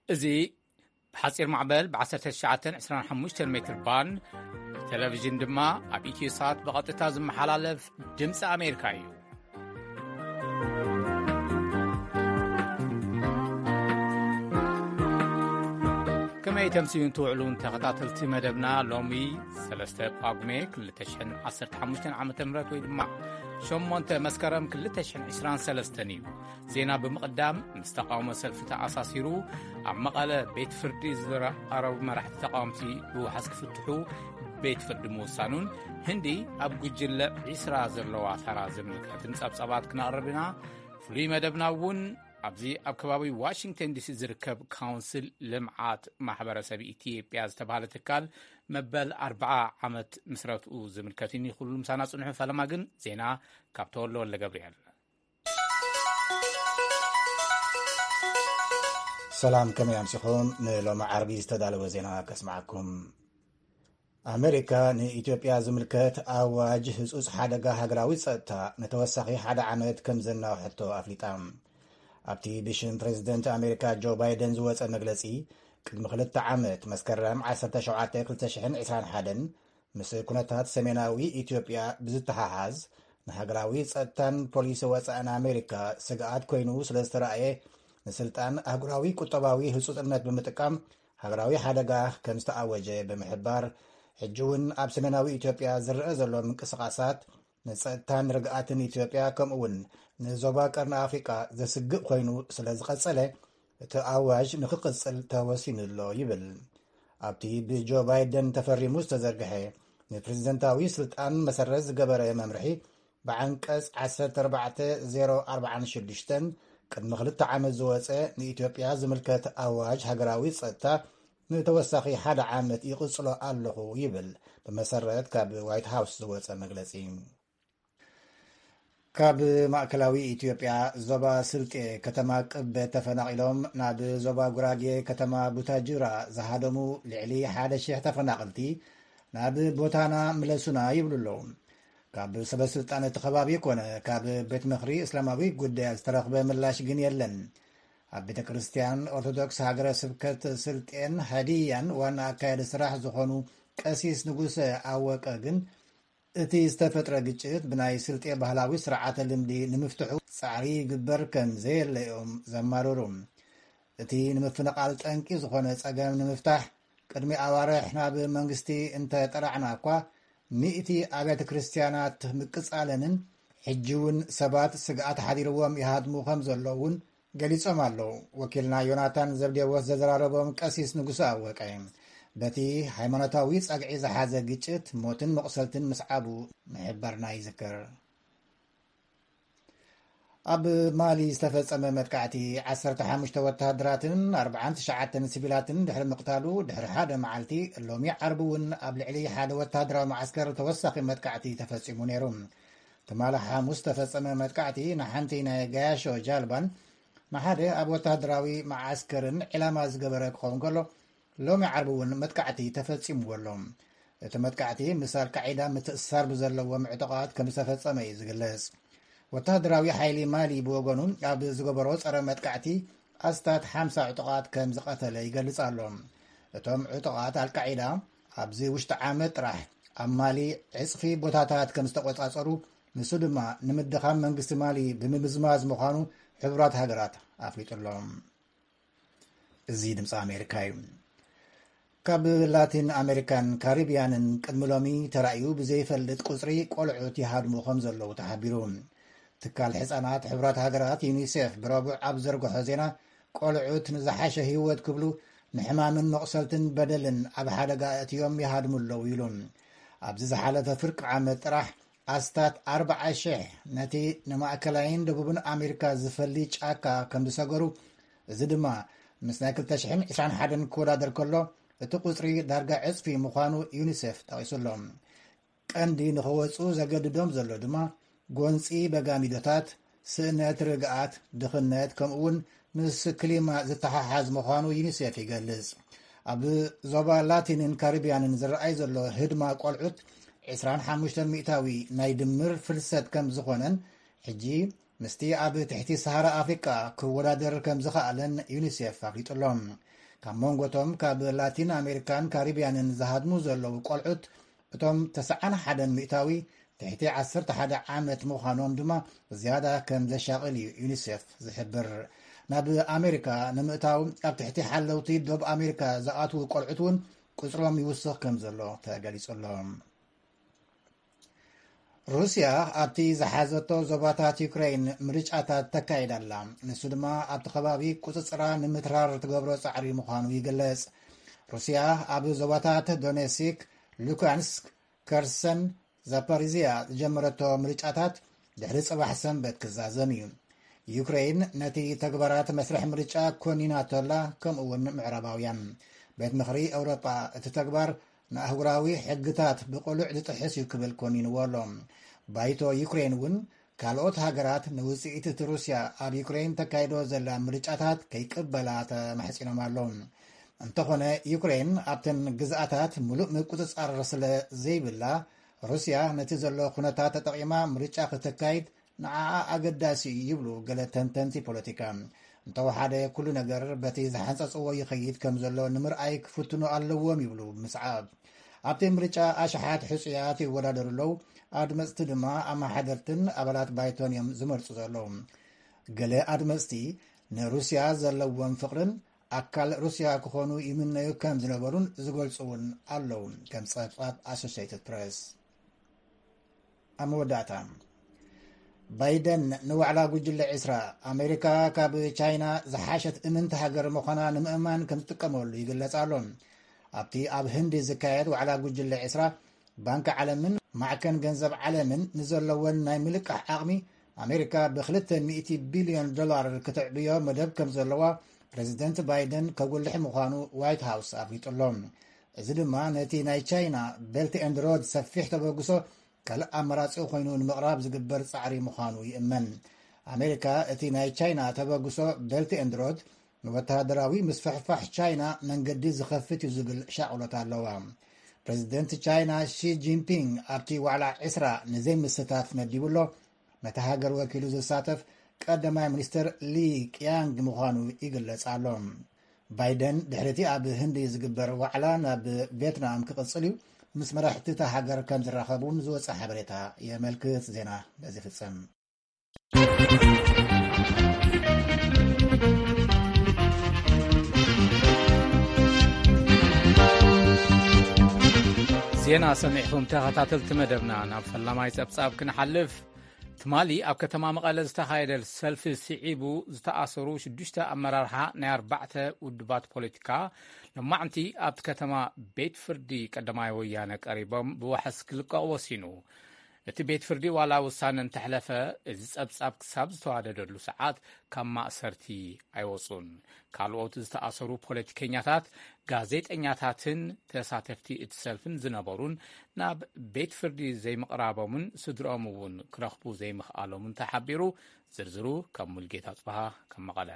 እዚ ብሓጺር ማዕበል ብ1925 ሜትር ባንድ፣ ብቴሌቪዥን ድማ ኣብ ኢትዮ ሳት ብቐጥታ ዝመሓላለፍ ድምፂ ኣሜሪካ እዩ። ከመይ ተምስዩን ትውዕሉን ተኸታተልቲ መደብና፣ ሎሚ ሰለስተ ጳጉሜ ክልተ ሽሕን ዓሰርተ ሓሙሽተን ዓመተ ምህረት ወይ ድማ ሸሞንተ መስከረም ክልተ ሽሕን ዕስራን ሰለስተን እዩ። ዜና ብምቕዳም፣ ምስ ተቓውሞ ሰልፊ ተኣሳሲሩ ኣብ መቐለ ቤት ፍርዲ ዝቐረቡ መራሕቲ ተቓወምቲ ብውሓስ ክፍትሑ ቤት ፍርዲ ምውሳኑን፣ ህንዲ ኣብ ጉጅለ ዒስራ ዘለዋ ተራ ዝምልከትን ጸብጻባት ክነቕርብ ኢና። ፍሉይ መደብና እውን ኣብዚ ኣብ ከባቢ ዋሽንግተን ዲሲ ዝርከብ ካውንስል ልምዓት ማሕበረሰብ ኢትዮጵያ ዝተባህለ ትካል መበል ኣርብዓ ዓመት ምስረትኡ ዝምልከት እዩ። ኩሉ ምሳና ጽንሑ። ፈለማ ግን ዜና ካብ ተወልደ ወልደ ገብርኤል። ሰላም፣ ከመይ ኣምሲኹም? ንሎሚ ዓርቢ ዝተዳለወ ዜና ከስምዓኩም። ኣሜሪካ ንኢትዮጵያ ዝምልከት ኣዋጅ ህጹጽ ሓደጋ ሃገራዊ ጸጥታ ንተወሳኺ ሓደ ዓመት ከም ዘናውሐቶ ኣፍሊጣ። ኣብቲ ብሽም ፕሬዚደንት ኣሜሪካ ጆ ባይደን ዝወጸ መግለጺ፣ ቅድሚ ክልተ ዓመት መስከረም ዓሰርተ ሸውዓተ ክልተ ሽሕን ዕስራን ሓደን ምስ ኩነታት ሰሜናዊ ኢትዮጵያ ብዝተሓሓዝ፣ ንሃገራዊ ጸጥታን ፖሊሲ ወጻእን ኣሜሪካ ስግኣት ኮይኑ ስለ ዝተራእየ፣ ንስልጣን ኣህጉራዊ ቁጠባዊ ህጹጽነት ብምጥቃም ሃገራዊ ሓደጋ ከም ዝተኣወጀ ብምሕባር፣ ሕጂ እውን ኣብ ሰሜናዊ ኢትዮጵያ ዝረአ ዘሎ ምንቅስቓሳት ንጸጥታን ርግኣትን ኢትዮጵያ፣ ከምኡ እውን ንዞባ ቀርኒ ኣፍሪቃ ዘስግእ ኮይኑ ስለ ዝቐጸለ፣ እቲ ኣዋጅ ንክቕጽል ተወሲኑ ኣሎ ይብል። ኣብቲ ብጆ ባይደን ተፈሪሙ ዝተዘርግሐ ንፕሬዝደንታዊ ስልጣን መሰረት ዝገበረ መምርሒ፣ ብዓንቀጽ ዓሰርተ ኣርባዕተ ዜሮ ኣርባዓን ሽዱሽተን ቅድሚ ክልተ ዓመት ዝወጸ ንኢትዮጵያ ዝምልከት ኣዋጅ ሃገራዊ ጸጥታ ንተወሳኺ ሓደ ዓመት ይቕጽሎ ኣለኹ ይብል፣ ብመሰረት ካብ ዋይት ሃውስ ዝወጸ መግለጺ። ካብ ማእከላዊ ኢትዮጵያ ዞባ ስልጤ ከተማ ቅበት ተፈናቒሎም ናብ ዞባ ጉራጌ ከተማ ቡታጅራ ዝሃደሙ ልዕሊ ሓደ ሽሕ ተፈናቐልቲ ናብ ቦታና ምለሱና ይብሉ ኣለዉ። ካብ ሰበ ስልጣን እቲ ከባቢ ኮነ ካብ ቤት ምኽሪ እስላማዊ ጉዳያት ዝተረኽበ ምላሽ ግን የለን። ኣብ ቤተ ክርስቲያን ኦርቶዶክስ ሃገረ ስብከት ስልጤን ሃዲያን ዋና ኣካያዲ ስራሕ ዝኾኑ ቀሲስ ንጉሰ ኣወቀ ግን፣ እቲ ዝተፈጥረ ግጭት ብናይ ስልጤ ባህላዊ ስርዓተ ልምዲ ንምፍትሑ ጻዕሪ ይግበር ከም ዘየለ እዮም ዘማርሩ። እቲ ንምፍንቓል ጠንቂ ዝኾነ ጸገም ንምፍታሕ፣ ቅድሚ ኣዋርሕ ናብ መንግስቲ እንተ ጠራዕና እኳ፣ ሚእቲ ኣብያተ ክርስትያናት ምቅጻለንን ሕጂ እውን ሰባት ስግኣት ሓዲርዎም ይሃድሙ ከም ዘለዉ እውን ገሊጾም ኣለዉ። ወኪልና ዮናታን ዘብዴዎስ ዘዘራረቦም ቀሲስ ንጉሰ ኣወቀ፣ በቲ ሃይማኖታዊ ጸግዒ ዝሓዘ ግጭት ሞትን መቑሰልትን ምስዓቡ ምሕባርና ይዝከር። ኣብ ማሊ ዝተፈጸመ መጥቃዕቲ ዓሰርተ ሓሙሽተ ወተሃደራትን ኣርባዓን ትሽዓተን ሲቪላትን ድሕሪ ምቕታሉ፣ ድሕሪ ሓደ መዓልቲ፣ ሎሚ ዓርቢ እውን ኣብ ልዕሊ ሓደ ወተሃደራዊ መዓስከር ተወሳኺ መጥቃዕቲ ተፈጺሙ ነይሩ። ትማሊ ሓሙስ ዝተፈጸመ መጥቃዕቲ ንሓንቲ ናይ ጋያሾ ጃልባን ንሓደ ኣብ ወተሃደራዊ መዓስከርን ዕላማ ዝገበረ ክኸውን ከሎ፣ ሎሚ ዓርቢ እውን መጥቃዕቲ ተፈጺምዎ ኣሎ። እቲ መጥቃዕቲ ምስ ኣልቃዒዳ ምትእስሳር ብዘለዎም ዕጡቓት ከም ዝተፈጸመ እዩ ዝግለጽ። ወተሃደራዊ ሓይሊ ማሊ ብወገኑ ኣብ ዝገበሮ ጸረ መጥቃዕቲ ኣስታት ሓምሳ ዕጡቓት ከም ዝቐተለ ይገልጽ ኣሎ። እቶም ዕጡቓት ኣልቃዒዳ ኣብዚ ውሽጢ ዓመት ጥራሕ ኣብ ማሊ ዕጽፊ ቦታታት ከም ዝተቖጻጸሩ፣ ንሱ ድማ ንምድኻም መንግስቲ ማሊ ብምምዝማዝ ምዃኑ ሕቡራት ሃገራት ኣፍሊጡ ኣሎ። እዚ ድምፂ ኣሜሪካ እዩ። ካብ ላቲን ኣሜሪካን ካሪብያንን ቅድሚ ሎሚ ተራእዩ ብዘይፈልጥ ቁፅሪ ቆልዑት ይሃድሙ ከም ዘለዉ ተሓቢሩ። ትካል ሕፃናት ሕቡራት ሃገራት ዩኒሴፍ ብረቡዕ ኣብ ዘርግሖ ዜና፣ ቆልዑት ንዝሓሸ ህይወት ክብሉ ንሕማምን መቑሰልትን በደልን ኣብ ሓደጋ ኣእትዮም ይሃድሙ ኣለዉ ኢሉ። ኣብዚ ዝሓለፈ ፍርቂ ዓመት ጥራሕ ኣስታት ኣርባዓ ሽሕ ነቲ ንማእከላይን ደቡብን ኣሜሪካ ዝፈሊ ጫካ ከም ዝሰገሩ፣ እዚ ድማ ምስ ናይ ክልተ ሽሕን ዕስራን ሓደን ክወዳደር ከሎ፣ እቲ ቁጽሪ ዳርጋ ዕጽፊ ምዃኑ ዩኒሴፍ ጠቒሱ ኣሎ። ቀንዲ ንኽወጹ ዘገድዶም ዘሎ ድማ ጎንጺ በጋሚዶታት፣ ስእነት ርግኣት፣ ድኽነት፣ ከምኡውን ምስ ክሊማ ዝተሓሓዝ ምዃኑ ዩኒሴፍ ይገልጽ። ኣብ ዞባ ላቲንን ካሪብያንን ዝረኣይ ዘሎ ህድማ ቆልዑት ዕስራን ሓሙሽተን ሚእታዊ ናይ ድምር ፍልሰት ከም ዝኾነን፣ ሕጂ ምስቲ ኣብ ትሕቲ ሰሃራ ኣፍሪቃ ክወዳደር ከም ዝኸኣለን ዩኒሴፍ ኣፍሊጡ ኣሎ። ካብ መንጎቶም ካብ ላቲን ኣሜሪካን ካሪብያንን ዝሃድሙ ዘለዉ ቆልዑት፣ እቶም ተስዓን ሓደን ሚእታዊ ትሕቲ ዓሰርተ ሓደ ዓመት ምዃኖም ድማ ዝያዳ ከም ዘሻቕል እዩ ዩኒሴፍ ዝሕብር። ናብ ኣሜሪካ ንምእታው ኣብ ትሕቲ ሓለውቲ ዶብ ኣሜሪካ ዝኣትዉ ቆልዑት እውን ቁጽሮም ይውስኽ ከም ዘሎ ተገሊጹ ኣሎ። ሩስያ ኣብቲ ዝሓዘቶ ዞባታት ዩክሬን ምርጫታት ተካይድ ኣላ። ንሱ ድማ ኣብቲ ከባቢ ቁጽጽራ ንምትራር ትገብሮ ጻዕሪ ምዃኑ ይግለጽ። ሩስያ ኣብ ዞባታት ዶኔስክ፣ ሉካንስክ፣ ከርሰን፣ ዛፓሪዝያ ዝጀመረቶ ምርጫታት ድሕሪ ጽባሕ ሰንበት ክዛዘም እዩ። ዩክሬን ነቲ ተግባራት መስርሕ ምርጫ ኮኒናቶ ኣላ፣ ከምኡ እውን ምዕራባውያን። ቤት ምኽሪ ኤውሮጳ እቲ ተግባር ንኣህጉራዊ ሕግታት ብቕሉዕ ዝጥሕስ እዩ ክብል ኮኒንዎ ኣሎ። ባይቶ ዩክሬን እውን ካልኦት ሃገራት ንውጽኢት እቲ ሩስያ ኣብ ዩክሬን ተካይዶ ዘላ ምርጫታት ከይቅበላ ተማሕጺኖም ኣለዉ። እንተኾነ ዩክሬን ኣብተን ግዝኣታት ምሉእ ምቁጽጻር ስለ ዘይብላ፣ ሩስያ ነቲ ዘሎ ኩነታት ተጠቒማ ምርጫ ክተካይድ ንዓኣ ኣገዳሲ እዩ ይብሉ ገለ ተንተንቲ ፖለቲካ። እንተወሓደ ኩሉ ነገር በቲ ዝሓንጸጽዎ ይኸይድ ከም ዘሎ ንምርኣይ ክፍትኑ ኣለዎም ይብሉ ብምስዓብ። ኣብቲ ምርጫ ኣሽሓት ሕጹያት ይወዳደሩ ኣለዉ። ኣድመጽቲ ድማ ኣመሓደርትን ኣባላት ባይቶን እዮም ዝመርጹ ዘለዉ። ገለ ኣድመጽቲ ንሩስያ ዘለዎም ፍቕርን ኣካል ሩስያ ክኾኑ ይምነዩ ከም ዝነበሩን ዝገልጹ እውን ኣለዉ፣ ከም ጸብጻብ ኣሶሽየትድ ፕረስ። ኣብ መወዳእታ፣ ባይደን ንዋዕላ ጉጅለ ዕስራ፣ ኣሜሪካ ካብ ቻይና ዝሓሸት እምንቲ ሃገር ምዃና ንምእማን ከም ዝጥቀመሉ ይግለጽ ኣሎ። ኣብቲ ኣብ ህንዲ ዝካየድ ዋዕላ ጉጅለ ዕስራ፣ ባንኪ ዓለምን ማዕከን ገንዘብ ዓለምን ንዘለወን ናይ ምልቃሕ ዓቕሚ፣ ኣሜሪካ ብ ክልተ ሚእቲ ቢልዮን ዶላር ክትዕብዮ መደብ ከም ዘለዋ ፕረዚደንት ባይደን ከጉልሕ ምዃኑ ዋይት ሃውስ ኣፍሊጡ ኣሎ። እዚ ድማ ነቲ ናይ ቻይና ቤልት ኤንድ ሮድ ሰፊሕ ተበግሶ ካልእ ኣማራጺ ኮይኑ ንምቕራብ ዝግበር ጻዕሪ ምዃኑ ይእመን። ኣሜሪካ እቲ ናይ ቻይና ተበግሶ ቤልት ኤንድ ሮድ ንወተሃደራዊ ምስፍሕፋሕ ቻይና መንገዲ ዝኸፍት እዩ ዝብል ሻቕሎት ኣለዋ። ፕረዚደንት ቻይና ሺ ጂንፒንግ ኣብቲ ዋዕላ ዕስራ ንዘይምስታፍ መዲቡ ኣሎ። ነታ ሃገር ወኪሉ ዝሳተፍ ቀዳማይ ሚኒስትር ሊ ቅያንግ ምዃኑ ይግለጽ ኣሎ። ባይደን ድሕሪቲ ኣብ ህንዲ ዝግበር ዋዕላ ናብ ቪየትናም ክቕጽል እዩ። ምስ መራሕቲ እታ ሃገር ከም ዝራኸቡ እውን ዝወጸ ሓበሬታ የመልክት። ዜና በዚ ፍጸም። ዜና ሰሚዕኹም ተኸታተልቲ መደብና፣ ናብ ፈላማይ ጸብጻብ ክንሓልፍ። ትማሊ ኣብ ከተማ መቐለ ዝተኻየደ ሰልፊ ስዒቡ ዝተኣሰሩ ሽዱሽተ ኣመራርሓ ናይ ኣርባዕተ ውድባት ፖለቲካ ሎማዕንቲ ኣብቲ ከተማ ቤት ፍርዲ ቀዳማይ ወያነ ቀሪቦም ብዋሕስ ክልቀቑ ወሲኑ። እቲ ቤት ፍርዲ ዋላ ውሳነ እንተሕለፈ፣ እዚ ጸብጻብ ክሳብ ዝተዋደደሉ ሰዓት ካብ ማእሰርቲ ኣይወጹን። ካልኦት ዝተኣሰሩ ፖለቲከኛታት፣ ጋዜጠኛታትን ተሳተፍቲ እቲ ሰልፍን ዝነበሩን ናብ ቤት ፍርዲ ዘይምቕራቦምን ስድርኦም እውን ክረኽቡ ዘይምኽኣሎምን ተሓቢሩ። ዝርዝሩ ካብ ሙልጌታ ጽበሃ ካብ መቐለ።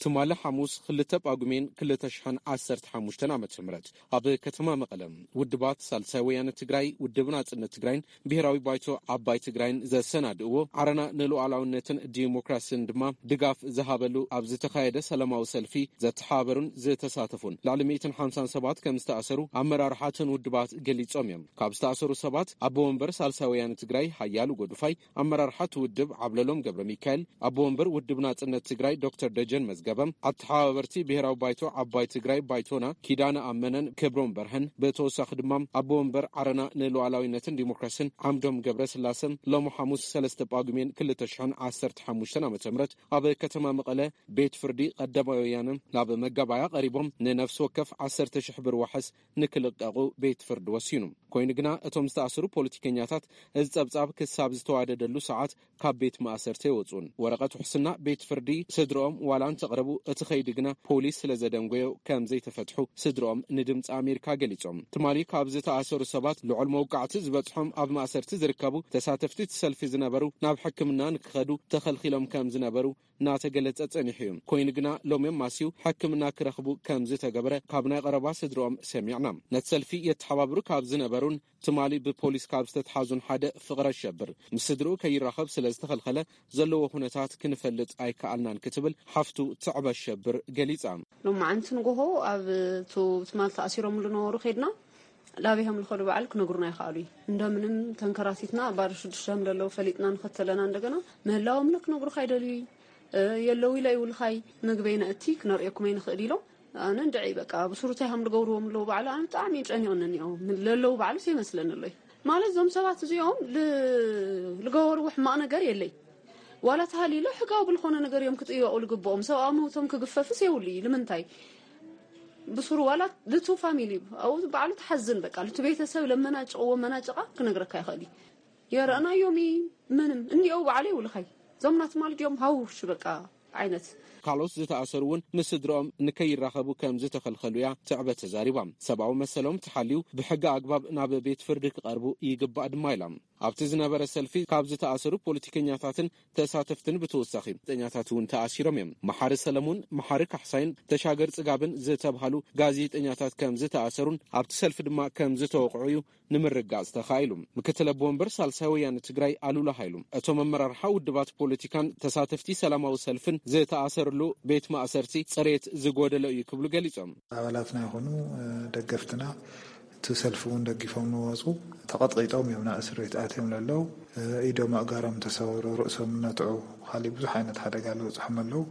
ትማሊ ሓሙስ ክልተ ጳጉሜን ክልተ ሽሕን ዓሰርተ ሓሙሽተን ዓመተ ምህረት ኣብ ከተማ መቐለ ውድባት ሳልሳይ ወያነ ትግራይ፣ ውድብ ናጽነት ትግራይን ብሄራዊ ባይቶ ዓባይ ትግራይን ዘሰናድእዎ ዓረና ንሉዓላውነትን ዲሞክራስን ድማ ድጋፍ ዝሃበሉ ኣብ ዝተኻየደ ሰላማዊ ሰልፊ ዘተሓባበሩን ዝተሳተፉን ልዕሊ ሚእትን ሓምሳን ሰባት ከም ዝተኣሰሩ ኣመራርሓ እተን ውድባት ገሊጾም እዮም። ካብ ዝተኣሰሩ ሰባት ኣቦ ወንበር ሳልሳይ ወያነ ትግራይ ሓያሉ ጎዱፋይ፣ ኣመራርሓ እቲ ውድብ ዓብለሎም ገብረ ሚካኤል፣ ኣቦ ወንበር ውድብ ናጽነት ትግራይ ዶክተር ደጀን መዝገበ፣ ኣተሓባበርቲ ብሄራዊ ባይቶ ዓባይ ትግራይ ባይቶና ኪዳነ ኣመነን ክብሮም በርሀን፣ ብተወሳኺ ድማ ኣቦ ወንበር ዓረና ንሉዓላዊነትን ዲሞክራስን ዓምዶም ገብረ ስላሰ ሎሚ ሓሙስ ሰለስተ ጳጉሜን ክልተ ሽሕን ዓሰርተ ሓሙሽተን ዓመተ ምህረት ኣብ ከተማ መቐለ ቤት ፍርዲ ቀዳማይ ወያነ ናብ መጋባያ ቀሪቦም ንነፍሲ ወከፍ ዓሰርተ ሽሕ ብር ዋሕስ ንክልቀቑ ቤት ፍርዲ ወሲኑ። ኮይኑ ግና እቶም ዝተኣሰሩ ፖለቲከኛታት እዚ ጸብጻብ ክሳብ ዝተዋደደሉ ሰዓት ካብ ቤት ማእሰርቲ ኣይወጹን። ወረቐት ውሕስና ቤት ፍርዲ ስድርኦም ዋላ እንተቕረቡ፣ እቲ ኸይዲ ግና ፖሊስ ስለ ዘደንጎዮ ከም ዘይተፈትሑ ስድርኦም ንድምፂ ኣሜሪካ ገሊጾም። ትማሊ ካብ ዝተኣሰሩ ሰባት ልዑል መውቃዕቲ ዝበጽሖም ኣብ ማእሰርቲ ዝርከቡ ተሳተፍቲ እቲ ሰልፊ ዝነበሩ ናብ ሕክምና ንክኸዱ ተኸልኪሎም ከም ዝነበሩ እናተገለጸ ጸኒሑ እዩ። ኮይኑ ግና ሎሚ ኣማስዩ ሕክምና ክረኽቡ ከም ዝተገበረ ካብ ናይ ቀረባ ስድርኦም ሰሚዕና። ነቲ ሰልፊ የተሓባብሩ ካብ ዝነበሩን ትማሊ ብፖሊስ ካብ ዝተትሓዙን ሓደ ፍቕረ ሸብር ምስ ስድርኡ ከይራኸብ ስለ ዝተኸልኸለ ዘለዎ ኩነታት ክንፈልጥ ኣይከኣልናን ክትብል ሓፍቱ ትዕበ ሸብር ገሊጻ። ሎማዓንቲ ንጎሆ ኣብ እቲ ትማል ተኣሲሮምሉ ነበሩ ከድና ላቢሆም ልኸዱ በዓል ክነግሩና ይኸኣሉ እዩ። እንደምንም ተንከራቲትና ባዶ ሽዱሽተ ከም ዘለዉ ፈሊጥና ንኸተለና እንደገና ምህላዎም ለ ክነግሩኻ ኣይደልዩ እዩ። የለዉ ኢለ ይውልኻይ ምግበይ ነእቲ ክነርእየኩም ኣይንኽእል ኢሎም ኣነ እንድዒ በቃ ብሱሩታይ ከም ዝገብርዎም ኣለዉ ባዕሉ ኣነ ብጣዕሚ ጨኒቑኒ እኒኦ ለለዉ ባዕሉ ዘይመስለኒ ኣሎ እዩ። ማለት እዞም ሰባት እዚኦም ል- ልገበርዎ ሕማቕ ነገር የለይ ዋላ ተሃሊሎ ሕጋዊ ብልኾነ ነገር እዮም ክጥየቑ ልግብኦም ሰብኣዊ መውቶም ክግፈፍስ የብሉ እዩ ንምንታይ ብሱሩ ዋላ ልቱ ፋሚሊ ኣብኡ ባዕሉ ትሓዝን በቃ ልቱ ቤተሰብ ለመናጭቕዎ መናጭቓ ክነግረካ ይኽእል እዩ የረእናዮም እዩ ምንም እኒኦ ባዕሉ ይውልኻይ እዞም ናትማል ድዮም ሃውሽ በቃ ዓይነት ካልኦት ዝተኣሰሩ እውን ምስ ስድርኦም ንከይራኸቡ ከም ዝተኸልኸሉ እያ ትዕበ ተዛሪባ። ሰብኣዊ መሰሎም ተሓልዩ ብሕጊ ኣግባብ ናብ ቤት ፍርዲ ክቐርቡ ይግባእ ድማ ኢላ። ኣብቲ ዝነበረ ሰልፊ ካብ ዝተኣሰሩ ፖለቲከኛታትን ተሳተፍትን ብተወሳኺ ጋዜጠኛታት እውን ተኣሲሮም እዮም። መሓሪ ሰለሙን፣ መሓሪ ካሕሳይን ተሻገር ጽጋብን ዝተብሃሉ ጋዜጠኛታት ከም ዝተኣሰሩን ኣብቲ ሰልፊ ድማ ከም ዝተወቕዑ እዩ ንምርጋጽ ተኻኢሉ። ምክትል ኣቦ ወንበር ሳልሳይ ወያነ ትግራይ ኣሉላ ሃይሉ፣ እቶም ኣመራርሓ ውድባት ፖለቲካን ተሳተፍቲ ሰላማዊ ሰልፍን ዝተኣሰርሉ ቤት ማእሰርቲ ጽሬት ዝጎደሎ እዩ ክብሉ ገሊጾም። ኣባላትና ይኹኑ ደገፍትና እቲ ሰልፊ እውን ደጊፎም ንወፁ ተቐጥቂጦም እዮም ናብ እስር ቤት ኣትዮም ለለው ኢዶም ኣእጋሮም ተሰበሩ ርእሶም ነትዑ ካሊእ ብዙሕ ዓይነት ሓደጋ ዝበፅሖም ኣለዉ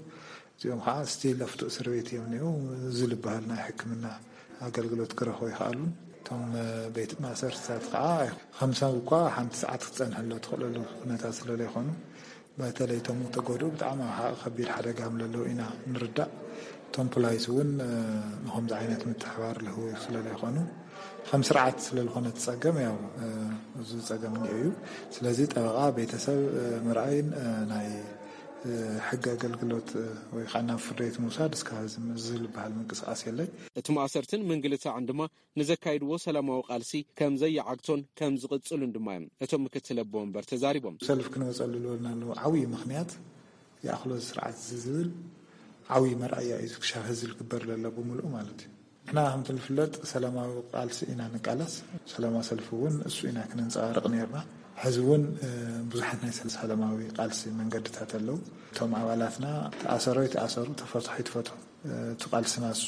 እዚኦም ከዓ ስቲል ኣብቲ እስር ቤት እዮም እኒኡ እዚ ዝበሃል ናይ ሕክምና ኣገልግሎት ክረኽቡ ይኽኣሉን እቶም ቤት ማእሰርትታት ከዓ ከምሳ እኳ ሓንቲ ሰዓት ክትፀንሐሎ ትኽእለሉ ኩነታት ስለለይኮኑ በተለይ እቶም ተጎድኡ ብጣዕሚ ከቢድ ሓደጋ ምለለዉ ኢና ንርዳእ እቶም ፖላይስ እውን ንከምዚ ዓይነት ምትሕባር ልህቡ ስለለይኮኑ ከም ስርዓት ስለልኾነ ትፀገም ያው እዚ ፀገም እኒኦ እዩ ስለዚ ጠበቃ ቤተሰብ ምርኣይን ናይ ሕጊ ኣገልግሎት ወይ ከዓ ናብ ፍርድ ቤት ምውሳድ እስካብ ዝበሃል ምንቅስቃስ የለይ። እቲ ማእሰርትን ምንግልታዕን ድማ ንዘካይድዎ ሰላማዊ ቃልሲ ከም ዘይዓግቶን ከም ዝቕጽሉን ድማ እዮም እቶም ምክትል ኣቦ ወንበር ተዛሪቦም። ሰልፍ ክንወፀሉ ዝበልናሉ ዓብዪ ምክንያት ይኣኽሎ እዚ ስርዓት እዚ ዝብል ዓብዪ መርኣያ እዩ ክሻ ህዝቢ ክግበር ለሎ ብምልኡ ማለት እዩ። ንሕና ከምቲ ዝፍለጥ ሰላማዊ ቃልሲ ኢና ንቃለስ፣ ሰላማዊ ሰልፊ እውን እሱ ኢና ክንንፀባርቕ ነርና። ሕዚ እውን ብዙሓት ናይ ሰላማዊ ቃልሲ መንገድታት ኣለዉ። እቶም ኣባላትና ተኣሰሩ ይተኣሰሩ፣ ተፈትሑ ይትፈትሑ፣ እቲ ቃልስና እሱ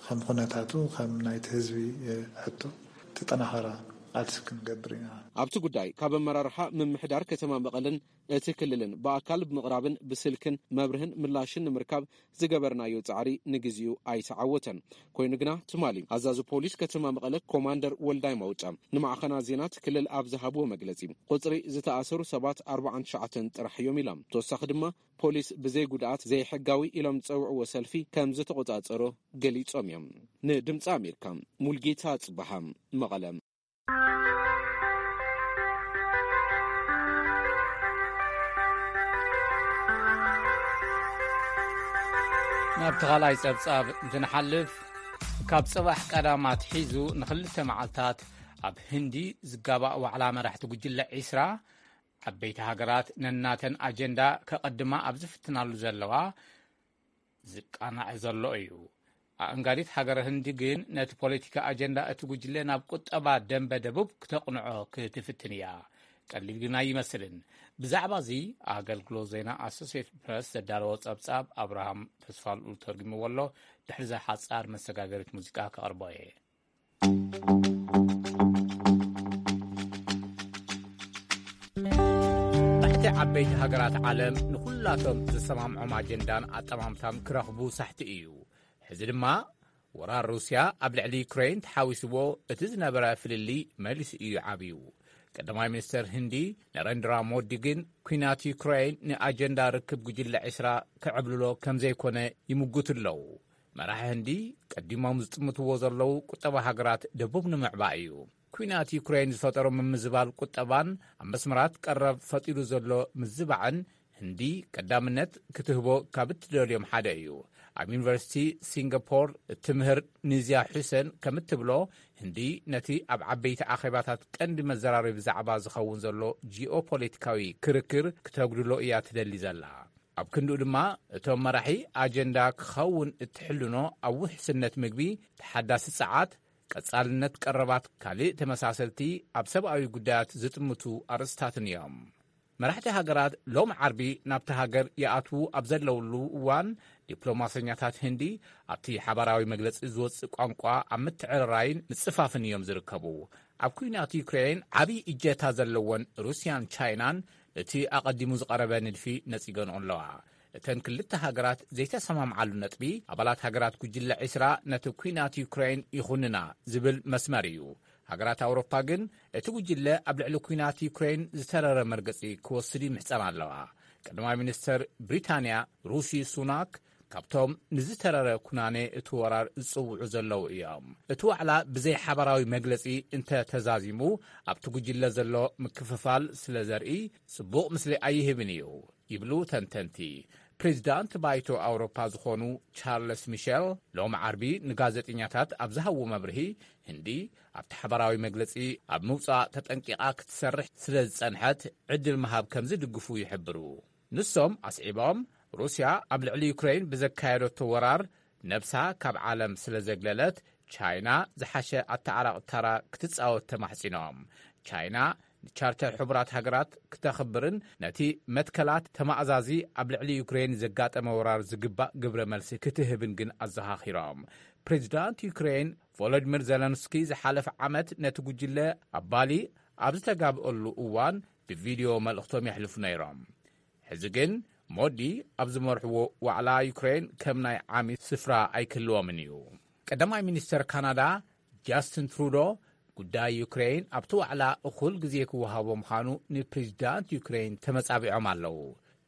ከም ኩነታቱ ከም ናይቲ ህዝቢ ሕቶ ተጠናኸረ ቃልሲ ክንገብር ኢና። ኣብቲ ጉዳይ ካብ ኣመራርሓ ምምሕዳር ከተማ መቐለን እቲ ክልልን ብኣካል ብምቕራብን ብስልክን መብርህን ምላሽን ንምርካብ ዝገበርናዮ ጻዕሪ ንግዜኡ ኣይተዓወተን። ኮይኑ ግና ትማሊ ኣዛዚ ፖሊስ ከተማ መቐለ ኮማንደር ወልዳይ መውጫ ንማዕኸና ዜና እቲ ክልል ኣብ ዝሃብዎ መግለጺ ቁጽሪ ዝተኣሰሩ ሰባት ኣርባዓን ትሽዓተን ጥራሕ እዮም ኢሎም። ተወሳኺ ድማ ፖሊስ ብዘይ ጉድኣት ዘይሕጋዊ ኢሎም ዝጸውዕዎ ሰልፊ ከም ዝተቆጻጸሮ ገሊጾም እዮም። ንድምፂ ኣሜሪካ ሙልጌታ ጽበሃ መቐለ። ናብ ተኻላይ ጸብጻብ እንትንሓልፍ ካብ ጽባሕ ቀዳም ኣትሒዙ ንኽልተ መዓልታት ኣብ ህንዲ ዝጋባእ ዋዕላ መራሕቲ ጉጅለ ዒስራ ዓበይቲ ሃገራት ነናተን ኣጀንዳ ከቐድማ ኣብ ዝፍትናሉ ዘለዋ ዝቃናዕ ዘሎ እዩ። ኣእንጋዲት ሃገረ ህንዲ ግን ነቲ ፖለቲካ ኣጀንዳ እቲ ጉጅለ ናብ ቁጠባ ደንበ ደቡብ ክተቕንዖ ክትፍትን እያ። ቀሊል ግን ኣይመስልን። ብዛዕባ እዚ ኣገልግሎት ዜና ኣሶሴትድ ፕረስ ዘዳለዎ ጸብጻብ ኣብርሃም ተስፋልኡል ተርጉምዎ ኣሎ። ድሕሪ እዛ ሓጻር መሰጋገሪት ሙዚቃ ከቕርቦ እየ። ብሕቲ ዓበይቲ ሃገራት ዓለም ንኹላቶም ዝሰማምዖም ኣጀንዳን ኣጠማምታን ክረኽቡ ሳሕቲ እዩ። ሕዚ ድማ ወራር ሩስያ ኣብ ልዕሊ ዩክሬን ተሓዊስዎ እቲ ዝነበረ ፍልልይ መሊሱ እዩ ዓብዩ። ቀዳማይ ሚኒስተር ህንዲ ነረንድራ ሞዲ ግን ኲናት ዩክሬን ንኣጀንዳ ርክብ ጉጅለ ዕስራ ክዕብልሎ ከም ዘይኮነ ይምጉቱ ኣለዉ። መራሒ ህንዲ ቀዲሞም ዝጥምትዎ ዘለዉ ቁጠባ ሃገራት ደቡብ ንምዕባእ እዩ። ኲናት ዩክሬን ዝፈጠሮ ምምዝባል ቁጠባን ኣብ መስመራት ቀረብ ፈጢሩ ዘሎ ምዝባዕን ህንዲ ቀዳምነት ክትህቦ ካብ እትደልዮም ሓደ እዩ። ኣብ ዩኒቨርሲቲ ሲንጋፖር እትምህር ኒዝያ ሑሰን ከም እትብሎ ህንዲ ነቲ ኣብ ዓበይቲ ኣኼባታት ቀንዲ መዘራረቢ ዛዕባ ዝኸውን ዘሎ ጂኦፖለቲካዊ ክርክር ክተጉድሎ እያ ትደሊ ዘላ። ኣብ ክንድኡ ድማ፣ እቶም መራሒ ኣጀንዳ ክኸውን እትሕልኖ ኣብ ውሕስነት ምግቢ፣ ተሓዳሲ ጸዓት፣ ቀጻልነት ቀረባት፣ ካልእ ተመሳሰልቲ ኣብ ሰብኣዊ ጉዳያት ዝጥምቱ ኣርእስታትን እዮም። መራሕቲ ሃገራት ሎም ዓርቢ ናብቲ ሃገር ይኣትዉ ኣብ ዘለውሉ እዋን፣ ዲፕሎማሰኛታት ህንዲ ኣብቲ ሓባራዊ መግለጺ ዝወጽእ ቋንቋ ኣብ ምትዕርራይን ምጽፋፍን እዮም ዝርከቡ። ኣብ ኲናት ዩክሬን ዓቢ እጀታ ዘለወን ሩስያን ቻይናን እቲ ኣቐዲሙ ዝቐረበ ንድፊ ነጺገንኦ ኣለዋ። እተን ክልተ ሃገራት ዘይተሰማምዓሉ ነጥቢ፣ ኣባላት ሃገራት ጉጅለ ዒስራ ነቲ ኲናት ዩክሬን ይኹንና ዝብል መስመር እዩ። ሃገራት ኣውሮፓ ግን እቲ ጉጅለ ኣብ ልዕሊ ኲናት ዩክሬን ዝተረረ መርገጺ ክወስድ ይምሕጸን ኣለዋ። ቀዳማይ ሚኒስተር ብሪታንያ ሩሺ ሱናክ ካብቶም ንዝተረረ ኩናኔ እቲ ወራር ዝጽውዑ ዘለዉ እዮም። እቲ ዋዕላ ብዘይ ሓባራዊ መግለጺ እንተ ተዛዚሙ፣ ኣብቲ ጉጅለ ዘሎ ምክፍፋል ስለ ዘርኢ ጽቡቕ ምስሊ ኣይህብን እዩ ይብሉ ተንተንቲ። ፕሬዚዳንት ባይቶ ኣውሮፓ ዝኾኑ ቻርለስ ሚሸል ሎም ዓርቢ ንጋዜጠኛታት ኣብ ዝሃብዎ መብርሂ፣ ህንዲ ኣብቲ ሓባራዊ መግለጺ ኣብ ምውጻእ ተጠንቂቓ ክትሰርሕ ስለ ዝጸንሐት ዕድል ምሃብ ከም ዝድግፉ ይሕብሩ። ንሶም ኣስዒቦም፣ ሩስያ ኣብ ልዕሊ ዩክሬን ብዘካየደቶ ወራር ነብሳ ካብ ዓለም ስለ ዘግለለት፣ ቻይና ዝሓሸ ኣተዓራቒ ተራ ክትጻወት ተማሕጺኖም። ቻይና ንቻርተር ሕቡራት ሃገራት ክተኽብርን ነቲ መትከላት ተማእዛዚ ኣብ ልዕሊ ዩክሬን ዘጋጠመ ወራር ዝግባእ ግብረ መልሲ ክትህብን ግን ኣዘኻኺሮም። ፕሬዚዳንት ዩክሬን ቮሎዲሚር ዘለንስኪ ዝሓለፈ ዓመት ነቲ ጉጅለ ኣብ ባሊ ኣብ ዝተጋብአሉ እዋን ብቪድዮ መልእኽቶም የሕልፉ ነይሮም። ሕዚ ግን ሞዲ ኣብ ዝመርሕዎ ዋዕላ ዩክሬን ከም ናይ ዓሚ ስፍራ ኣይክህልዎምን እዩ። ቀዳማይ ሚኒስተር ካናዳ ጃስትን ትሩዶ ጉዳይ ዩክሬን ኣብቲ ዋዕላ እኹል ግዜ ክወሃቦ ምዃኑ ንፕሬዚዳንት ዩክሬን ተመጻቢዖም ኣለዉ።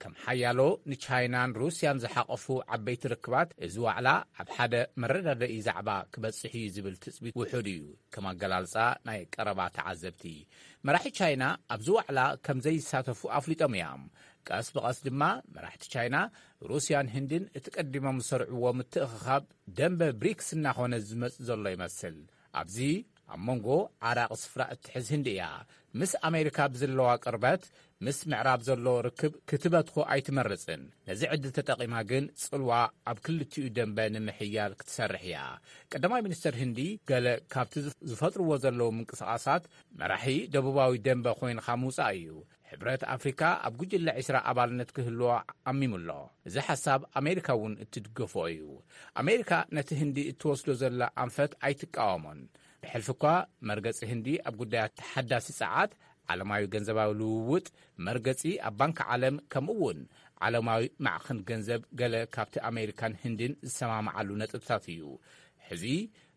ከም ሓያሎ ንቻይናን ሩስያን ዝሓቐፉ ዓበይቲ ርክባት፣ እዚ ዋዕላ ኣብ ሓደ መረዳድኢ ዛዕባ ክበጽሕ እዩ ዝብል ትጽቢት ውሑድ እዩ፣ ከም ኣገላልጻ ናይ ቀረባ ተዓዘብቲ። መራሒ ቻይና ኣብዚ ዋዕላ ከም ዘይሳተፉ ኣፍሊጦም እዮም። ቀስ ብቐስ ድማ መራሕቲ ቻይና፣ ሩስያን ህንድን እቲ ቀዲሞም ዝሰርዕዎ ምትእኽኻብ ደንበ ብሪክስ እናኾነ ዝመጽእ ዘሎ ይመስል። ኣብዚ ኣብ መንጎ ዓራቒ ስፍራ እትሕዝ ህንዲ እያ። ምስ ኣሜሪካ ብዝለዋ ቅርበት፣ ምስ ምዕራብ ዘሎ ርክብ ክትበትኾ ኣይትመርጽን። ነዚ ዕድል ተጠቒማ ግን ጽልዋ ኣብ ክልቲኡ ደንበ ንምሕያል ክትሰርሕ እያ። ቀዳማይ ሚኒስተር ህንዲ ገለ ካብቲ ዝፍ-፣ ዝፈጥርዎ ዘለዉ ምንቅስቓሳት መራሒ ደቡባዊ ደንበ ኮይንኻ ምውጻእ እዩ። ሕብረት ኣፍሪካ ኣብ ጉጅለ ዒስራ ኣባልነት ክህልዎ ዓሚሙ ኣሎ። እዚ ሓሳብ ኣሜሪካ እውን እትድገፎ እዩ። ኣሜሪካ ነቲ ህንዲ እትወስዶ ዘላ ኣንፈት ኣይትቃወሞን። ብሕልፊ እኳ መርገጺ ህንዲ ኣብ ጉዳያት ተሓዳሲ ጸዓት፣ ዓለማዊ ገንዘባዊ ልውውጥ፣ መርገጺ ኣብ ባንክ ዓለም፣ ከምኡ እውን ዓለማዊ ማዕኸን ገንዘብ ገለ ካብቲ ኣሜሪካን ህንድን ዝሰማምዓሉ ነጥብታት እዩ። ሕዚ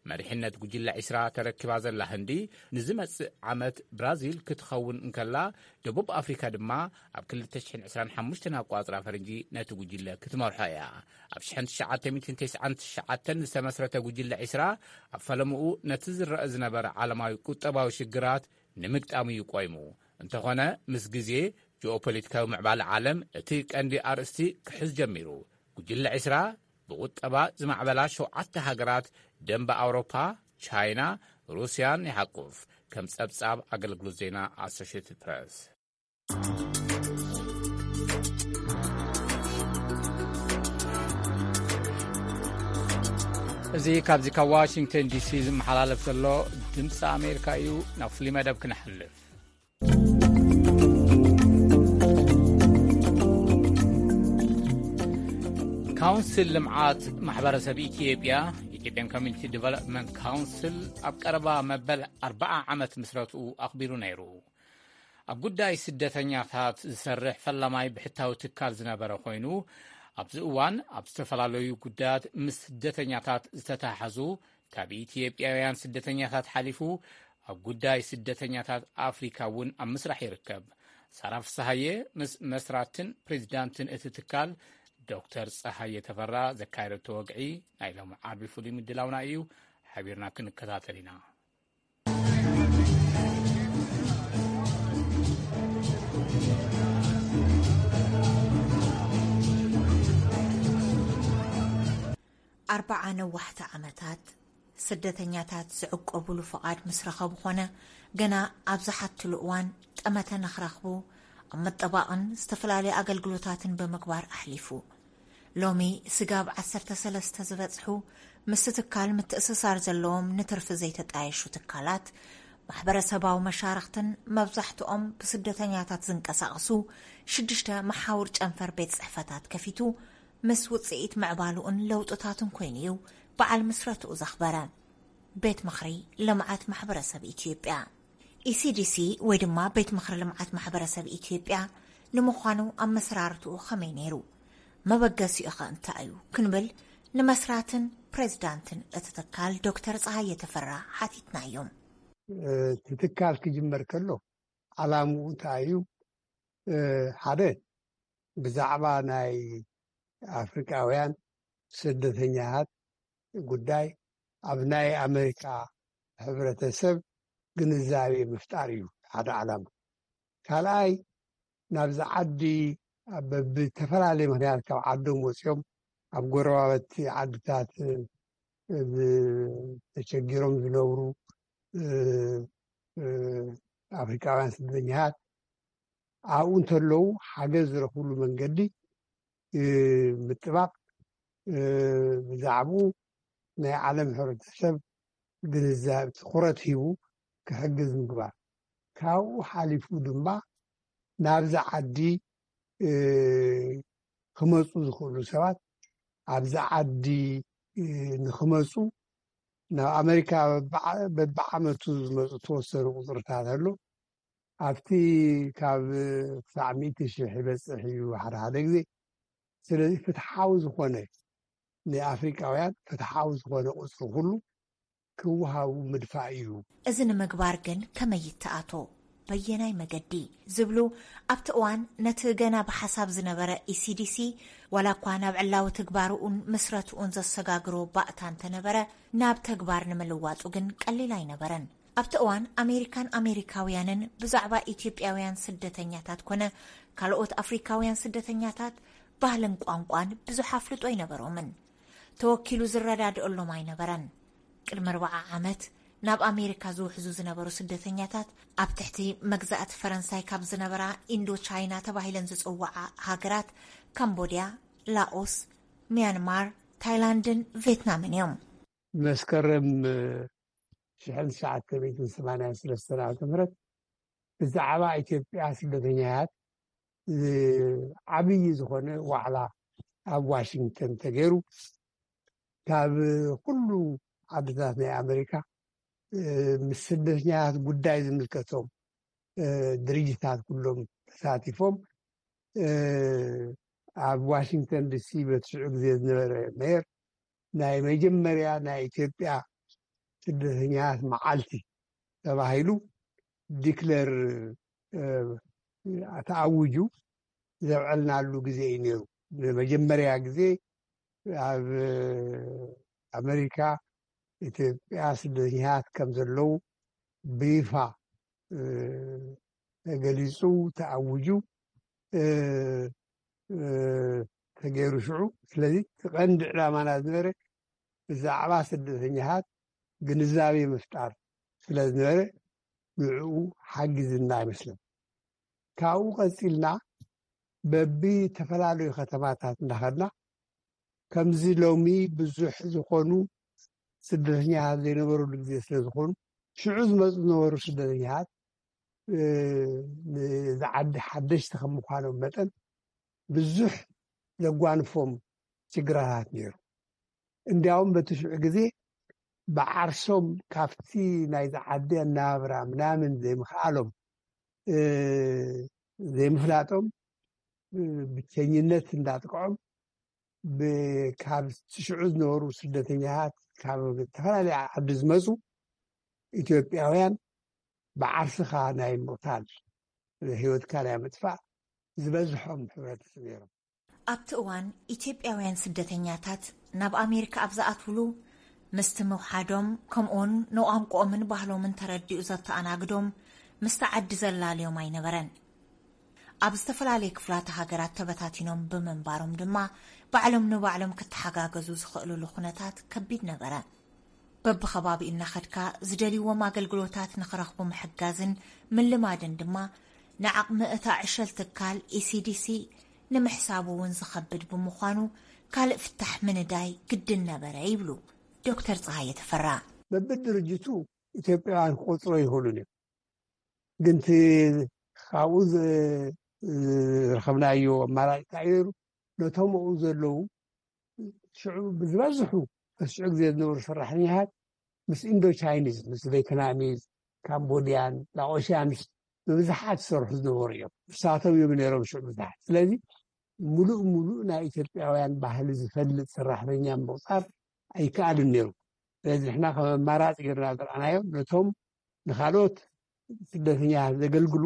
መሪሕነት ጉጅለ ዒስራ ተረኪባ ዘላ ህንዲ፣ ንዝመጽእ ዓመት ብራዚል ክትኸውን እንከላ፣ ደቡብ ኣፍሪካ ድማ ኣብ ክልተ ሽሕን ዕስራን ሓሙሽተን ኣቋጽራ ፈረንጂ ነቲ ጉጅለ ክትመርሖ እያ። ኣብ ሽሕን ትሽዓተ ሚእትን ተስዓን ትሽዓተን ዝተመስረተ ጉጅለ ዒስራ፣ ኣብ ፈለምኡ ነቲ ዝረአ ዝነበረ ዓለማዊ ቁጠባዊ ሽግራት ንምግጣም እዩ ቆይሙ። እንተኾነ፣ ምስ ግዜ ጂኦፖለቲካዊ ምዕባለ ዓለም እቲ ቀንዲ ኣርእስቲ ክሕዝ ጀሚሩ። ጉጅለ ዒስራ ብቁጠባ ዝማዕበላ ሸውዓተ ሃገራት፣ ደንበ ኣውሮፓ፣ ቻይና፣ ሩስያን ይሓቁፍ፣ ከም ጸብጻብ ኣገልግሎት ዜና ኣሶሽየትድ ፕረስ። እዚ ካብዚ ካብ ዋሽንግተን ዲሲ ዝመሓላለፍ ዘሎ ድምፂ ኣሜሪካ እዩ። ናብ ፍሉይ መደብ ክንሓልፍ። ካውንስል ልምዓት ማሕበረሰብ ኢትዮጵያ፣ ኢትዮጵያን ኮሚኒቲ ዲቨሎፕመንት ካውንስል፣ ኣብ ቀረባ መበል ኣርብዓ ዓመት ምስረትኡ ኣኽቢሩ ነይሩ። ኣብ ጉዳይ ስደተኛታት ዝሰርሕ ፈላማይ ብሕታዊ ትካል ዝነበረ ኮይኑ፣ ኣብዚ እዋን ኣብ ዝተፈላለዩ ጉዳያት ምስ ስደተኛታት ዝተተሓሓዙ፣ ካብ ኢትዮጵያውያን ስደተኛታት ሓሊፉ ኣብ ጉዳይ ስደተኛታት ኣፍሪካ እውን ኣብ ምስራሕ ይርከብ። ሳራ ፍስሃየ ምስ መስራትን ፕሬዚዳንትን እቲ ትካል ዶክተር ፀሃየ ተፈራ ዘካየደቶ ወግዒ ናይ ሎሚ ዓርቢ ፍሉይ ምድላውና እዩ። ሓቢርና ክንከታተል ኢና። ኣርብዓ ነዋሕቲ ዓመታት ስደተኛታት ዝዕቆቡሉ ፍቓድ ምስ ረኸቡ ኾነ፣ ገና ኣብ ዝሓትሉ እዋን ጠመተ ንኽረኽቡ ኣብ ምጥባቕን ዝተፈላለዩ ኣገልግሎታትን ብምግባር ኣሕሊፉ። ሎሚ ስጋብ ዓሰርተ ሰለስተ ዝበጽሑ ምስቲ ትካል ምትእስሳር ዘለዎም ንትርፊ ዘይተጣየሹ ትካላት፣ ማሕበረሰባዊ መሻርኽትን መብዛሕትኦም ብስደተኛታት ዝንቀሳቐሱ ሽዱሽተ መሓውር ጨንፈር ቤት ጽሕፈታት ከፊቱ ምስ ውጽኢት ምዕባሉኡን ለውጥታቱን ኮይኑ እዩ በዓል ምስረትኡ ዘኽበረ። ቤት ምኽሪ ልምዓት ማሕበረሰብ ኢትዮጵያ፣ ኢሲዲሲ፣ ወይ ድማ ቤት ምኽሪ ልምዓት ማሕበረሰብ ኢትዮጵያ ንምዃኑ ኣመሰራርትኡ ከመይ ነይሩ? መበገሲኡ ኸ እንታይ እዩ? ክንብል ንመስራትን ፕሬዝዳንትን እቲ ትካል ዶክተር ፀሃየ ተፈራ ሓቲትናዮም። እቲ ትካል ክጅመር ከሎ ዓላምኡ እንታይ እዩ? ሓደ፣ ብዛዕባ ናይ ኣፍሪቃውያን ስደተኛታት ጉዳይ ኣብ ናይ ኣሜሪካ ሕብረተሰብ ግንዛቤ ምፍጣር እዩ ሓደ ዓላማ። ካልኣይ፣ ናብዚ ዓዲ ብዝተፈላለየ ምክንያት ካብ ዓዶም ወፂኦም ኣብ ጎረባበቲ ዓድታት ተቸጊሮም ዝነብሩ ኣፍሪቃውያን ስደተኛታት ኣብኡ እንተለዉ ሓገዝ ዝረኽብሉ መንገዲ ምጥባቕ፣ ብዛዕባኡ ናይ ዓለም ሕብረተሰብ ግንዛብ ትኹረት ሂቡ ክሕግዝ ምግባር። ካብኡ ሓሊፉ ድማ ናብዚ ዓዲ ክመፁ ዝኽእሉ ሰባት ኣብዚ ዓዲ ንክመፁ ናብ ኣሜሪካ በብዓመቱ ዝመፁ ተወሰኑ ቁፅርታት ኣሎ። ኣብቲ ካብ ክሳዕ ሚእቲ ሽሕ ይበፅሕ እዩ ሓደ ሓደ ግዜ። ስለዚ ፍትሓዊ ዝኾነ ንኣፍሪቃውያን ፍትሓዊ ዝኾነ ቁፅሪ ኩሉ ክወሃቡ ምድፋእ እዩ። እዚ ንምግባር ግን ከመይ ይተኣቶ? በየናይ መገዲ? ዝብሉ ኣብቲ እዋን ነቲ ገና ብሓሳብ ዝነበረ ኢሲዲሲ ዋላ እኳ ናብ ዕላዊ ትግባርኡን ምስረትኡን ዘሰጋግሮ ባእታ እንተነበረ ናብ ተግባር ንምልዋጡ ግን ቀሊል ኣይነበረን። ኣብቲ እዋን ኣሜሪካን ኣሜሪካውያንን ብዛዕባ ኢትዮጵያውያን ስደተኛታት ኮነ ካልኦት ኣፍሪካውያን ስደተኛታት ባህልን ቋንቋን ብዙሕ ኣፍልጦ ኣይነበሮምን። ተወኪሉ ዝረዳድኦሎም ኣይነበረን። ቅድሚ ኣርባዓ ዓመት ናብ ኣሜሪካ ዝውሕዙ ዝነበሩ ስደተኛታት ኣብ ትሕቲ መግዛእቲ ፈረንሳይ ካብ ዝነበራ ኢንዶ ቻይና ተባሂለን ዝጽውዓ ሃገራት ካምቦድያ፣ ላኦስ፣ ሚያንማር፣ ታይላንድን ቬትናምን እዮም። መስከረም ሽሕን ትሽዓተ ሚእትን ሰማንያን ሰለስተን ዓመተ ምህረት ብዛዕባ ኢትዮጵያ ስደተኛታት ዓብዪ ዝኾነ ዋዕላ ኣብ ዋሽንግተን ተገይሩ። ካብ ኩሉ ዓድታት ናይ ኣሜሪካ ምስ ስደተኛታት ጉዳይ ዝምልከቶም ድርጅታት ኩሎም ተሳቲፎም። ኣብ ዋሽንግተን ዲሲ በቲ ሽዑ ግዜ ዝነበረ ሜየር ናይ መጀመርያ ናይ ኢትዮጵያ ስደተኛታት መዓልቲ ተባሂሉ ዲክለር ተኣውጁ ዘብዐልናሉ ግዜ እዩ ነይሩ። ንመጀመርያ ግዜ ኣብ ኣሜሪካ ኢትዮጵያ ስደተኛታት ከም ዘለዉ ብይፋ ተገሊፁ፣ ተኣውጁ፣ ተገይሩ ሽዑ። ስለዚ እቲ ቀንዲ ዕላማና ዝነበረ ብዛዕባ ስደተኛታት ግንዛቤ ምፍጣር ስለ ዝነበረ ንዕኡ ሓጊዝና ይመስለን። ካብኡ ቀፂልና በቢ ዝተፈላለዩ ከተማታት እንዳኸድና ከምዚ ሎሚ ብዙሕ ዝኾኑ ስደተኛታት ዘይነበረሉ ግዜ ስለ ዝኾኑ ሽዑ ዝመፁ ዝነበሩ ስደተኛታት ንዚ ዓዲ ሓደሽቲ ከም ምዃኖም መጠን ብዙሕ ዘጓንፎም ችግራታት ነይሩ። እንዲያውም በቲ ሽዑ ግዜ ብዓርሶም ካብቲ ናይዚ ዓዲ ኣነባብራ ምናምን ዘይምኽኣሎም ዘይምፍላጦም ብቸኝነት እንዳጥቅዖም ካብ ሽዑ ዝነበሩ ስደተኛታት ካብ ዝተፈላለየ ዓዲ ዝመፁ ኢትዮጵያውያን ብዓርስኻ ናይ ምቕታል ህይወትካ ናይ ምጥፋእ ዝበዝሖም ሕብረተሰብ ነይሮም። ኣብቲ እዋን ኢትዮጵያውያን ስደተኛታት ናብ ኣሜሪካ ኣብ ዝኣትውሉ ምስቲ ምውሓዶም ከምኡውን ንቋንቋኦምን ባህሎምን ተረዲኡ ዘተኣናግዶም ምስቲ ዓዲ ዘላልዮም ኣይነበረን። ኣብ ዝተፈላለየ ክፍላተ ሃገራት ተበታቲኖም ብምንባሮም ድማ ባዕሎም ንባዕሎም ክተሓጋገዙ ዝኽእልሉ ኩነታት ከቢድ ነበረ። በብኸባቢኡ እናኸድካ ዝደልይዎም ኣገልግሎታት ንኽረኽቡ ምሕጋዝን ምልማድን ድማ ንዓቕሚ እታ ዕሸል ትካል ኢሲዲሲ ንምሕሳቡ እውን ዝኸብድ ብምዃኑ ካልእ ፍታሕ ምንዳይ ግድን ነበረ ይብሉ ዶክተር ፀሃየ ተፈራ። በብድርጅቱ ኢትዮጵያውያን ክቆፅሮ ይኽእሉን እዮም። ግን እቲ ካብኡ ዝ- ዝረኸብናዮ ኣማራፂ እንታይ እዩ ነይሩ? ነቶም ኣብኡ ዘለዉ ሽዑ ብዝበዝሑ በዚ ሽዑ ግዜ ዝነበሩ ሰራሕተኛታት ምስ ኢንዶ ቻይኒዝ፣ ምስ ቬትናሚዝ፣ ካምቦዲያን፣ ላኦሽያንስ ብብዝሓት ዝሰርሑ ዝነበሩ እዮም። ንሳቶም እዮም ነይሮም ሽዑ ብዙሓት። ስለዚ ሙሉእ ሙሉእ ናይ ኢትዮጵያውያን ባህሊ ዝፈልጥ ሰራሕተኛ ምቁፃር ኣይከኣልን ነይሩ። ስለዚ ንሕና ከም ኣማራፂ ጌርና ዝረኣናዮ ነቶም ንካልኦት ስደተኛታት ዘገልግሉ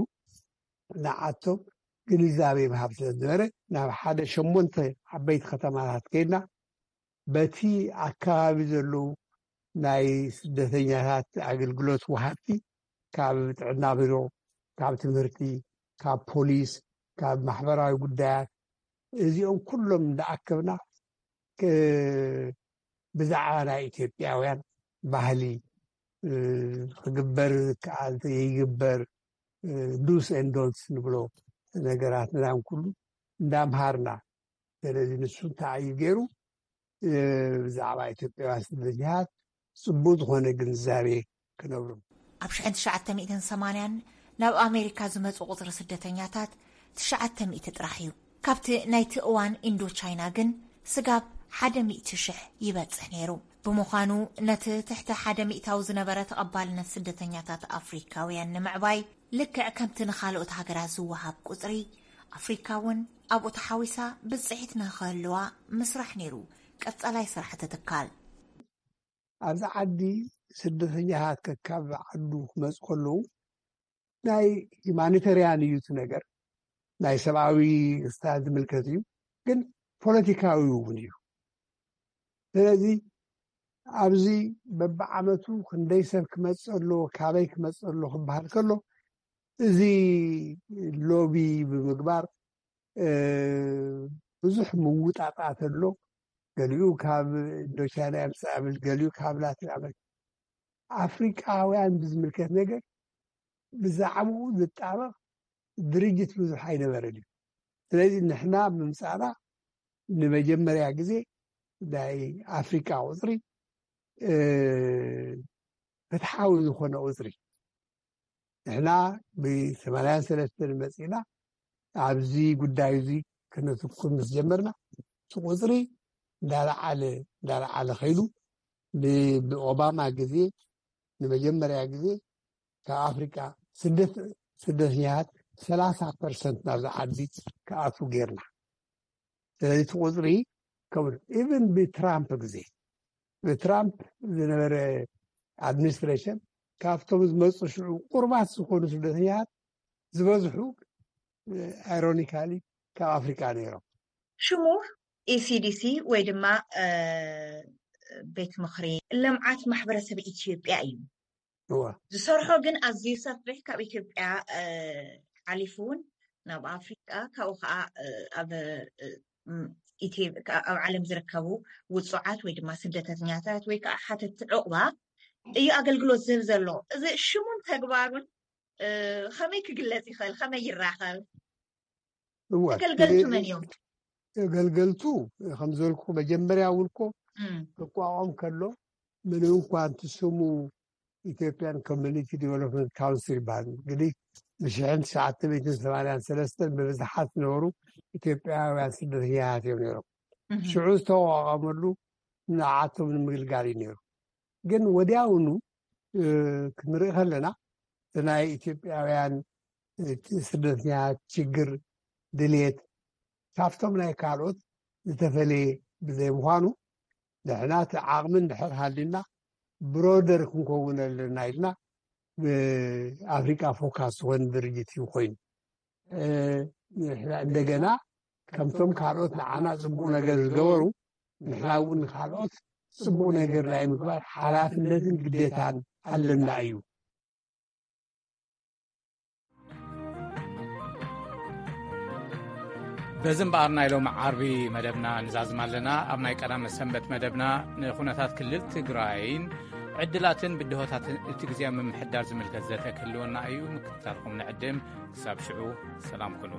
ንዓቶም ግንዛቤ ምሃብ ስለ ዝነበረ ናብ ሓደ ሸሞንተ ዓበይቲ ከተማታት ከይድና በቲ ኣከባቢ ዘለዉ ናይ ስደተኛታት ኣገልግሎት ወሃብቲ ካብ ጥዕና ቢሮ፣ ካብ ትምህርቲ፣ ካብ ፖሊስ፣ ካብ ማሕበራዊ ጉዳያት እዚኦም ኩሎም እንዳኣከብና ክ- ብዛዕባ ናይ ኢትዮጵያውያን ባህሊ እ፣ ክግበር ዝከኣል ይግበር ዱስ ኤንድ ዶንትስ ንብሎ ነገራት ምናምን ኩሉ እንዳምሃርና ስለዚ ንሱ እንታይ እዩ ገይሩ ብዛዕባ ኢትዮጵያውያን ስደተኛታት ፅቡቅ ዝኾነ ግንዛቤ ክነብሩ ኣብ ሽሕን ትሽዓተ ሚእትን ሰማንያን ናብ ኣሜሪካ ዝመፁ ቁፅሪ ስደተኛታት ትሽዓተ ሚእቲ ጥራሕ እዩ። ካብቲ ናይቲ እዋን ኢንዶ ቻይና ግን ስጋብ ሓደ ሚእቲ ሽሕ ይበፅሕ ነይሩ። ብምዃኑ ነቲ ትሕቲ ሓደ ሚእታዊ ዝነበረ ተቐባልነት ስደተኛታት ኣፍሪካውያን ንምዕባይ ልክዕ ከምቲ ንኻልኦት ሃገራት ዝወሃብ ቁፅሪ ኣፍሪካ እውን ኣብኡ ተሓዊሳ ብፅሒት ንክህልዋ ምስራሕ ነይሩ ቀፃላይ ስራሕ እቲ ትካል። ኣብዚ ዓዲ ስደተኛታት ከካብ ዓዱ ክመፁ ከለዉ ናይ ሂማኒተርያን እዩ እቲ ነገር ናይ ሰብኣዊ ክስታት ዝምልከት እዩ ግን ፖለቲካዊ እውን እዩ ስለዚ ኣብዚ በብዓመቱ ክንደይ ሰብ ክመፅእ ኣለዎ ካበይ ክመፅእ ኣለዎ ክበሃል ከሎ እዚ ሎቢ ብምግባር ብዙሕ ምውጣጣት ኣሎ ገሊኡ ካብ ኢንዶቻይና የምፅእ ብል ገሊኡ ካብ ላቲን ኣመሪካ ኣፍሪቃውያን ብዝምልከት ነገር ብዛዕባኡ ዝጣበቕ ድርጅት ብዙሕ ኣይነበረን እዩ ስለዚ ንሕና ብምምፃእና ንመጀመርያ ግዜ ናይ ኣፍሪቃ ቁፅሪ ፍትሓዊ ዝኾነ ቁፅሪ ንሕና ብሰማንያን ሰለስተን መፂና ኣብዚ ጉዳይ እዚ ክነትኩር ምስ ጀመርና እቲ ቁፅሪ እንዳለዓለ እንዳለዓለ ከይዱ ብኦባማ ግዜ ንመጀመርያ ግዜ ካብ ኣፍሪቃ ስደት ስደተኛታት ሰላሳ ፐርሰንት ናብዚ ዓዲ ክኣትዉ ጌርና ስለዚ እቲ ቁፅሪ ከምኡ ኢቨን ብትራምፕ ግዜ ብትራምፕ ዝነበረ ኣድሚኒስትሬሽን ካብቶም ዝመፁ ሽዑ ቁርባት ዝኾኑ ስደተኛታት ዝበዝሑ ኣይሮኒካሊ ካብ ኣፍሪቃ ነይሮም። ሽሙ ኢሲዲሲ ወይ ድማ ቤት ምኽሪ ልምዓት ማሕበረሰብ ኢትዮጵያ እዩ። ዝሰርሖ ግን ኣዝዩ ሰፊሕ ካብ ኢትዮጵያ ሓሊፉ እውን ናብ ኣፍሪቃ ካብኡ ከዓ ኣብ ኣብ ዓለም ዝርከቡ ውፁዓት ወይ ድማ ስደተኛታት ወይ ከዓ ሓተቲ ዕቑባ እዩ ኣገልግሎት ዝህብ ዘሎ። እዚ ሽሙን ተግባሩን ከመይ ክግለፅ ይኽእል? ከመይ ይራኸብ? እወ ተገልገልቱ መን እዮም? ተገልገልቱ ከም ዝበልኩ መጀመርያ እውን እኮ ክቋቋም ከሎ ምንም እንኳ እቲ ስሙ ኢትዮጵያን ኮሚኒቲ ዲቨሎፕመንት ካውንስል ይበሃል እንግዲህ ብሽሕን ትሽዓተ ሚእትን ሰማንያን ሰለስተን ብብዝሓት ዝነበሩ ኢትዮጵያውያን ስደተኛታት እዮም ነይሮም ሽዑ ዝተቋቋመሉ ንዓቶም ንምግልጋል እዩ ነይሩ ግን ወዲያውኑ ክንርኢ ከለና ናይ ኢትዮጵያውያን ስደተኛታት ችግር ድልየት ካብቶም ናይ ካልኦት ዝተፈለየ ብዘይምዃኑ ንሕና እቲ ዓቕሚ እንድሕር ሃልዩና ብሮደር ክንከውን ኣለና ኢልና ብኣፍሪቃ ፎካስ ዝኾነ ድርጅት እዩ ኮይኑ እንደገና ከምቶም ካልኦት ንዓና ፅቡቅ ነገር ዝገበሩ ንሕና እውን ንካልኦት ፅቡቅ ነገር ናይ ምግባር ሓላፍነትን ግዴታን ኣለና እዩ። በዚ እምበኣር ናይ ሎሚ ዓርቢ መደብና ንዛዝም ኣለና። ኣብ ናይ ቀዳመ ሰንበት መደብና ንኩነታት ክልል ትግራይን ዕድላትን ብድሆታትን እቲ ግዜ ምምሕዳር ዝምልከት ዘተ ክህልወና እዩ። ምክትታልኩም ንዕድም። ክሳብ ሽዑ ሰላም ኩኑ።